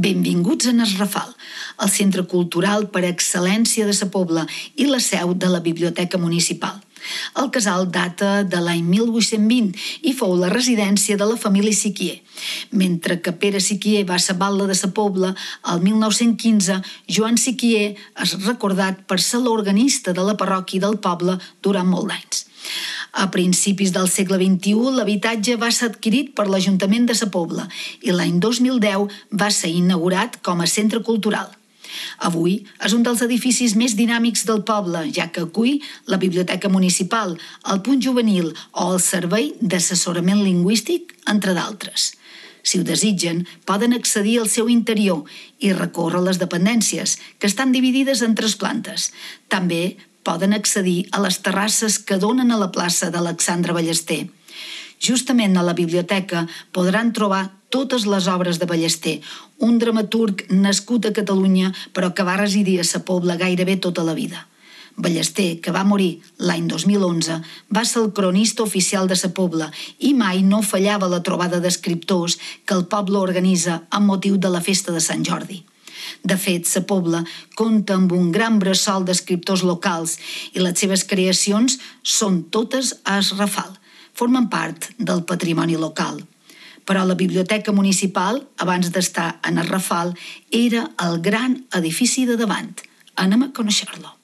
Benvinguts a Es Rafal, el centre cultural per excel·lència de Sa Pobla i la seu de la Biblioteca Municipal. El casal data de l'any 1820 i fou la residència de la família Siquier. Mentre que Pere Siquier va ser batlle de Sa Pobla, el 1915 Joan Siquier és recordat per ser l'organista de la parròquia del poble durant molts anys. A principis del segle XXI, l'habitatge va ser adquirit per l'Ajuntament de Sa Pobla i l'any 2010 va ser inaugurat com a centre cultural. Avui és un dels edificis més dinàmics del poble, ja que acull la Biblioteca Municipal, el Punt Juvenil o el Servei d'Assessorament Lingüístic, entre d'altres. Si ho desitgen, poden accedir al seu interior i recórrer les dependències, que estan dividides en 3 plantes. També poden accedir a les terrasses que donen a la plaça d'Alexandre Ballester. Justament a la biblioteca podran trobar totes les obres de Ballester, un dramaturg nascut a Catalunya però que va residir a Sa Pobla gairebé tota la vida. Ballester, que va morir l'any 2011, va ser el cronista oficial de Sa Pobla i mai no fallava la trobada d'escriptors que el poble organitza amb motiu de la festa de Sant Jordi. De fet, Sa Pobla compta amb un gran bressol d'escriptors locals i les seves creacions són totes a Es Rafal. Formen part del patrimoni local. Però la Biblioteca Municipal, abans d'estar en Es Rafal, era el gran edifici de davant. Anem a conèixer-lo.